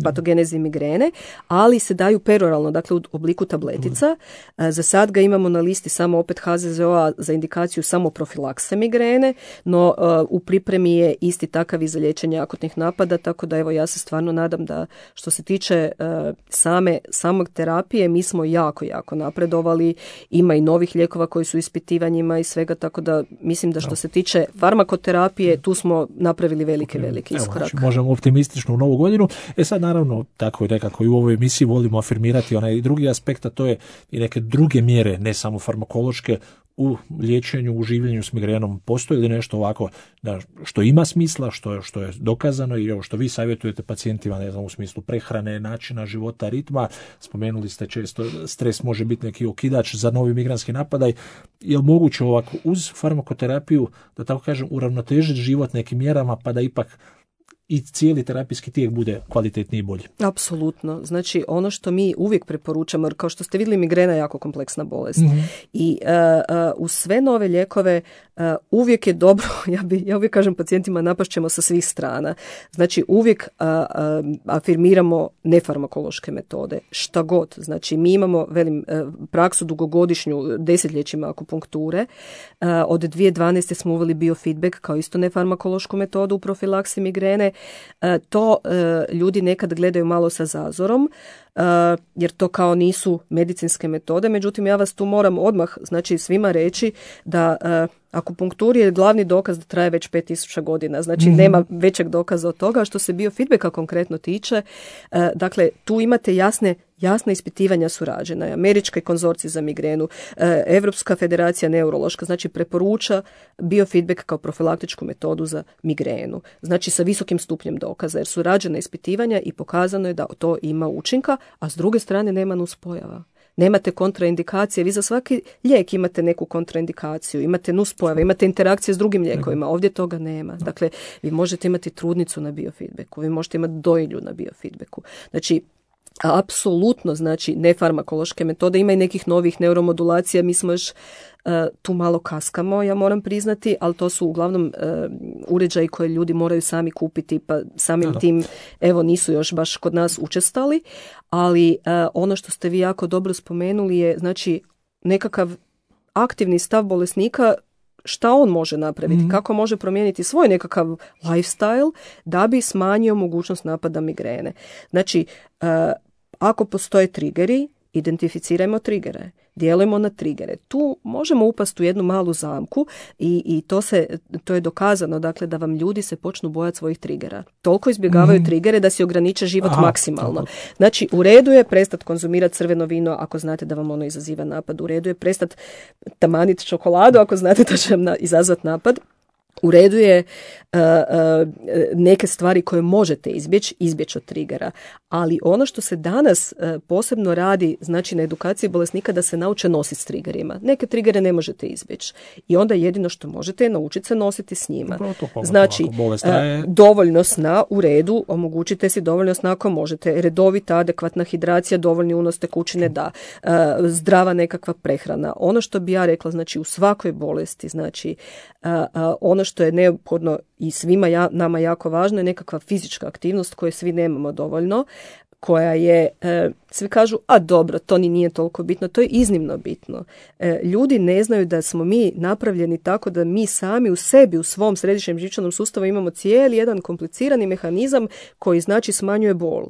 patogenezi migrene, ali se daju peroralno, dakle u obliku tabletica. Za sad ga imamo na listi samo opet HZZO-a za indikaciju samo profilakse migrene, no u pripremi je isti takav i za liječenje akutnih napada, tako da evo ja se stvarno nadam da što se tiče samog terapije mi smo jako, jako napredovali. Ima i novih lijekova koji su ispitivanjima i svega, tako da mislim da što se tiče farmakoterapije, tu smo napravili veliki iskorak. Znači, možemo optimistično u novu godinu. Sad naravno, tako i nekako i u ovoj emisiji volimo afirmirati onaj drugi aspekt, a to je i neke druge mjere, ne samo farmakološke, u liječenju, u življenju s migrenom. Postoji li nešto ovako da, što ima smisla, što je dokazano i ovo što vi savjetujete pacijentima, ne znam, u smislu prehrane, načina života, ritma? Spomenuli ste često, stres može biti neki okidač za novi migranski napadaj. Je li moguće ovako uz farmakoterapiju, da tako kažem, uravnotežiti život nekim mjerama pa da ipak i cijeli terapijski tijek bude kvalitetniji i bolji? Apsolutno. Znači, ono što mi uvijek preporučamo, jer kao što ste vidjeli, migrena je jako kompleksna bolest. I uz sve nove lijekove uvijek je dobro, ja uvijek kažem pacijentima, napašćemo sa svih strana. Znači, uvijek afirmiramo nefarmakološke metode, šta god. Znači, mi imamo, praksu dugogodišnju, desetljećima akupunkture. Od 2012. smo uveli biofeedback kao isto nefarmakološku metodu u profilaksi migrene. To ljudi nekad gledaju malo sa zazorom, jer to kao nisu medicinske metode. Međutim, ja vas tu moram odmah, znači, svima reći da akupunkturi je glavni dokaz da traje već 5000 godina. Znači, nema većeg dokaza od toga. Što se biofeedbacka konkretno tiče, dakle, tu imate jasne ispitivanja su rađena. Američki konzorcij za migrenu, Europska federacija neurološka, znači preporuča biofeedback kao profilaktičku metodu za migrenu. Znači, sa visokim stupnjem dokaza, jer su rađena ispitivanja i pokazano je da to ima učinka, a s druge strane nema nuspojava. Nemate kontraindikacije, vi za svaki lijek imate neku kontraindikaciju, imate nuspojave, imate interakcije s drugim lijekovima, ovdje toga nema. Dakle, vi možete imati trudnicu na biofeedbacku, vi možete imati dojilju na biofeedbacku. Znači, apsolutno, znači, nefarmakološke metode, ima i nekih novih neuromodulacija, mi smo još tu malo kaskamo, ja moram priznati, ali to su uglavnom uređaji koje ljudi moraju sami kupiti, pa samim tim, evo, nisu još baš kod nas učestali, ali ono što ste vi jako dobro spomenuli je, znači, nekakav aktivni stav bolesnika, šta on može napraviti, kako može promijeniti svoj nekakav lifestyle da bi smanjio mogućnost napada migrene. Znači, ako postoje trigeri, identificirajmo trigere, djelujemo na trigere. Tu možemo upasti u jednu malu zamku i to je dokazano, dakle, da vam ljudi se počnu bojati svojih trigera. Toliko izbjegavaju trigere da si ograniče život maksimalno. Znači, u redu je prestati konzumirati crveno vino ako znate da vam ono izaziva napad. U redu je prestati tamaniti čokoladu ako znate da će vam izazvati napad. U redu je neke stvari koje možete izbjeći od trigera, ali ono što se danas posebno radi, znači, na edukaciji bolesnika, da se nauče nositi s triggerima. Neke trigere ne možete izbjeći i onda jedino što možete je naučiti se nositi s njima. Znači, dovoljno sna, u redu, omogućite si dovoljno sna ako možete, redovita, adekvatna hidracija, dovoljni unos tekućine, da, zdrava nekakva prehrana. Ono što bi ja rekla, znači, u svakoj bolesti, znači, ono što je neophodno i svima nama jako važno je nekakva fizička aktivnost koje svi nemamo dovoljno, koja je, svi kažu, a dobro, to ni nije toliko bitno, to je iznimno bitno. Ljudi ne znaju da smo mi napravljeni tako da mi sami u sebi, u svom središnjem živčanom sustavu imamo cijeli jedan komplicirani mehanizam koji, znači, smanjuje bol.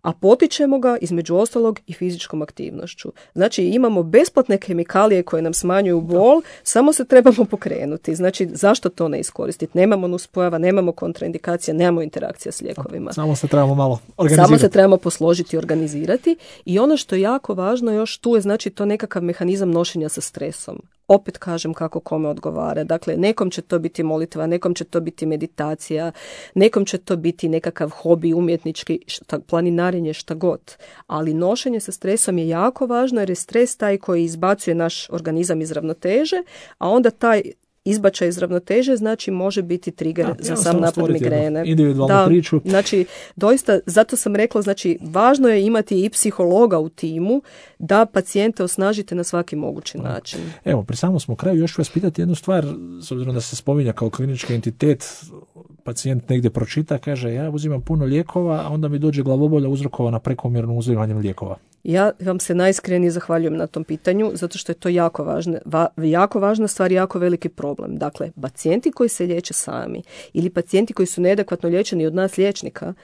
A potičemo ga, između ostalog, i fizičkom aktivnošću. Znači, imamo besplatne kemikalije koje nam smanjuju bol, samo se trebamo pokrenuti. Znači, zašto to ne iskoristiti? Nemamo nuspojava, nemamo kontraindikacija, nemamo interakcija s lijekovima. Samo se trebamo malo organizirati. Samo se trebamo posložiti i organizirati. I ono što je jako važno još tu je, znači, to nekakav mehanizam nošenja sa stresom. Opet kažem kako kome odgovara. Dakle, nekom će to biti molitva, nekom će to biti meditacija, nekom će to biti nekakav hobi umjetnički, planinarenje, šta god. Ali nošenje sa stresom je jako važno jer je stres taj koji izbacuje naš organizam iz ravnoteže, a onda taj izbačaj iz ravnoteže, znači, može biti trigger za sam napad migrene. Individualnu priču. Znači, doista, zato sam rekla, znači, važno je imati i psihologa u timu da pacijente osnažite na svaki mogući način. Evo, pri samom smo kraju, još ću vas pitati jednu stvar, s obzirom da se spominja kao klinički entitet, pacijent negdje pročita, kaže, ja uzimam puno lijekova, a onda mi dođe glavobolja uzrokovana prekomjernim uzimanjem lijekova. Ja vam se najiskrenije zahvaljujem na tom pitanju, zato što je to jako važna stvar i jako veliki problem. Dakle, pacijenti koji se liječe sami ili pacijenti koji su neadekvatno liječeni od nas liječnika,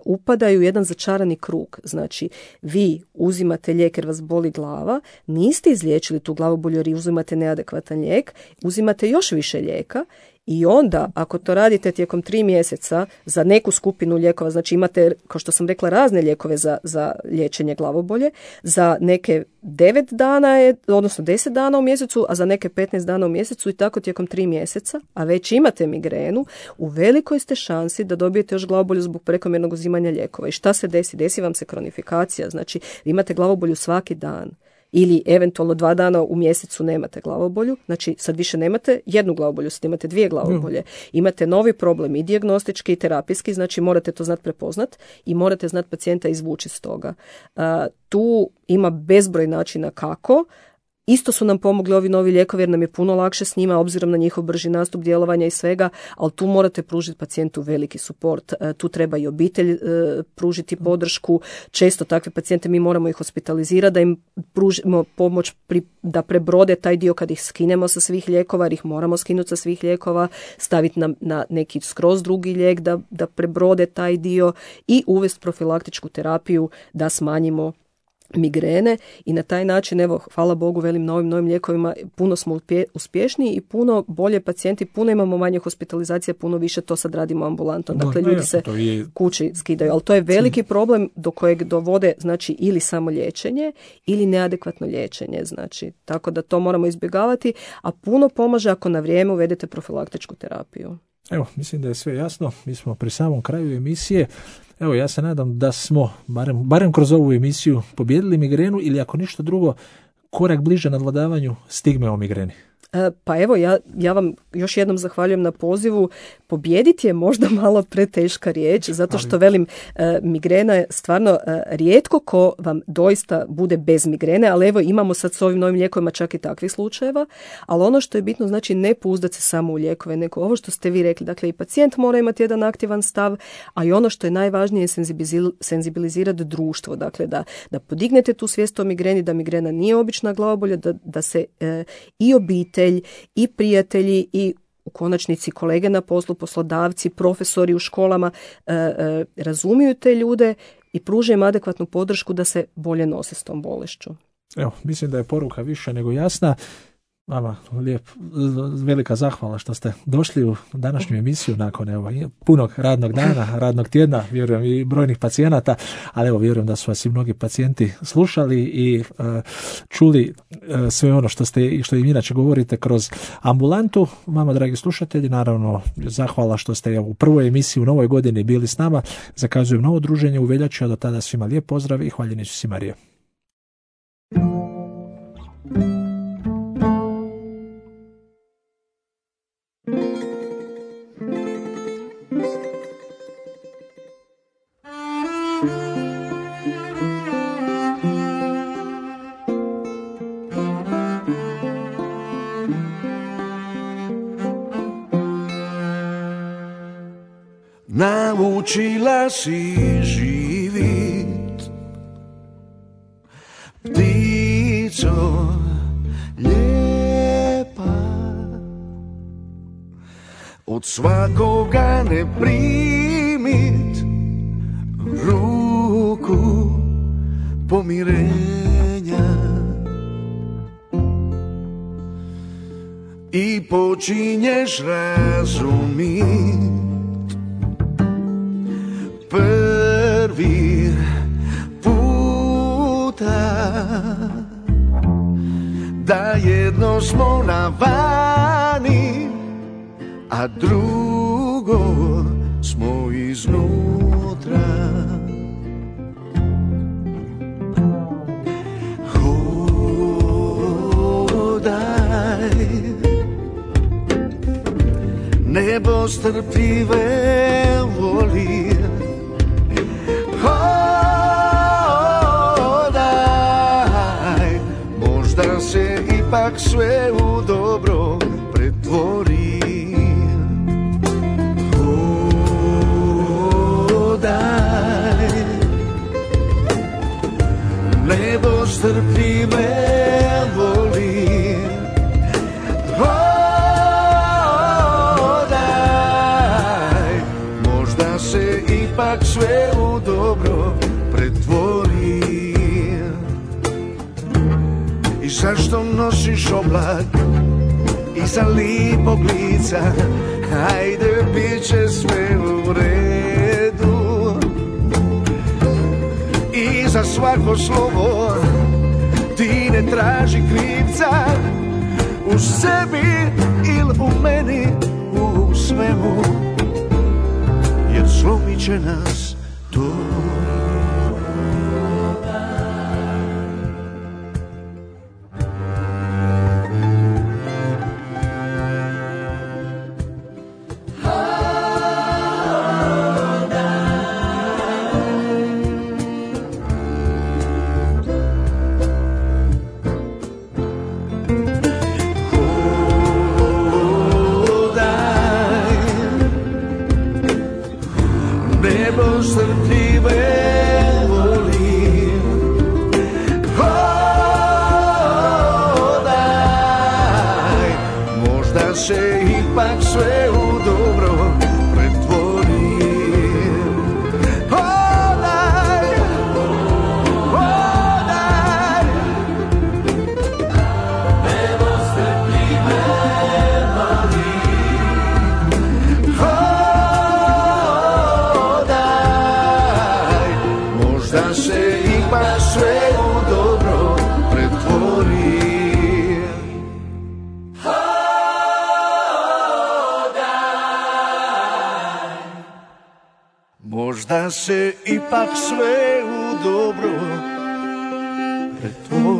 upadaju u jedan začarani krug. Znači, vi uzimate lijek jer vas boli glava, niste izliječili tu glavobolju jer uzimate neadekvatan lijek, uzimate još više lijeka i onda, ako to radite tijekom 3 mjeseca za neku skupinu lijekova, znači imate, kao što sam rekla, razne lijekove za liječenje glavobolje, za neke 9 dana, odnosno 10 dana u mjesecu, a za neke 15 dana u mjesecu i tako tijekom 3 mjeseca, a već imate migrenu, u velikoj ste šansi da dobijete još glavobolju zbog prekomjernog uzimanja lijekova. I šta se desi? Desi vam se kronifikacija, znači imate glavobolju svaki dan. Ili eventualno 2 dana u mjesecu nemate glavobolju, znači sad više nemate jednu glavobolju, sad imate 2 glavobolje. Imate novi problem i dijagnostički i terapijski, znači morate to znati prepoznat i morate znati pacijenta izvući iz toga. Tu ima bezbroj načina kako. Isto su nam pomogli ovi novi lijekovi jer nam je puno lakše s njima obzirom na njihov brži nastup djelovanja i svega, ali tu morate pružiti pacijentu veliki suport. Tu treba i obitelj pružiti podršku. Često takve pacijente mi moramo ih hospitalizirati da im pružimo pomoć da prebrode taj dio kad ih skinemo sa svih lijekova, jer ih moramo skinuti sa svih lijekova, staviti na neki skroz drugi lijek da prebrode taj dio i uvesti profilaktičku terapiju da smanjimo migrene i na taj način, evo, hvala Bogu, velim, novim lijekovima puno smo uspješniji i puno bolje pacijenti, puno imamo manje hospitalizacije, puno više to sad radimo ambulantno. Dakle, ljudi se kući skidaju, ali to je veliki problem do kojeg dovode, znači, ili samo liječenje ili neadekvatno liječenje, znači, tako da to moramo izbjegavati, a puno pomaže ako na vrijeme uvedete profilaktičku terapiju. Evo, mislim da je sve jasno, mi smo pri samom kraju emisije. Evo, ja se nadam da smo, barem kroz ovu emisiju, pobijedili migrenu ili ako ništa drugo, korak bliže nadvladavanju stigme o migreni. Pa evo, ja vam još jednom zahvaljujem na pozivu. Pobijediti je možda malo preteška riječ, zato što velim, migrena je stvarno rijetko ko vam doista bude bez migrene, ali evo imamo sad s ovim novim lijekovima čak i takvih slučajeva, ali ono što je bitno, znači ne pouzdati se samo u lijekove, nego ovo što ste vi rekli, dakle i pacijent mora imati jedan aktivan stav, a i ono što je najvažnije je senzibilizirati društvo, dakle da podignete tu svijest o migreni, da migrena nije obična glavobolja, da se i obitelj i prijatelji i u konačnici kolege na poslu, poslodavci, profesori u školama razumiju te ljude i pruže im adekvatnu podršku da se bolje nose s tom bolešću. Evo, mislim da je poruka više nego jasna. Vama velika zahvala što ste došli u današnju emisiju nakon punog radnog dana, radnog tjedna, vjerujem i brojnih pacijenata, ali evo vjerujem da su vas i mnogi pacijenti slušali i čuli sve ono što im inače govorite kroz ambulantu. Vama, dragi slušatelji, naravno zahvala što ste u prvoj emisiji u novoj godini bili s nama. Zakazujem novo druženje u veljači, a do tada svima lijep pozdrav i hvaljeni Isus i Marija. Naučila si živit, ptico lijepa, od svakoga ne primit ruku pomirenja i počinješ razumit prvi puta da jedno smo na vani, a drugo smo iznutra. Hodaj, nebo strpljive voli. Hodaj, možda se ipak sve u dobro pretvori. Hodaj, nebo strpljive voli. Hodaj, možda se ipak sve zašto nosiš oblak iza lipog lica? Hajde, bit će sve u redu. I za svako slovo ti ne traži krivca, u sebi ili u meni, u svemu, jer slomit će nas to. Možda se ipak sve u dobro pretvori.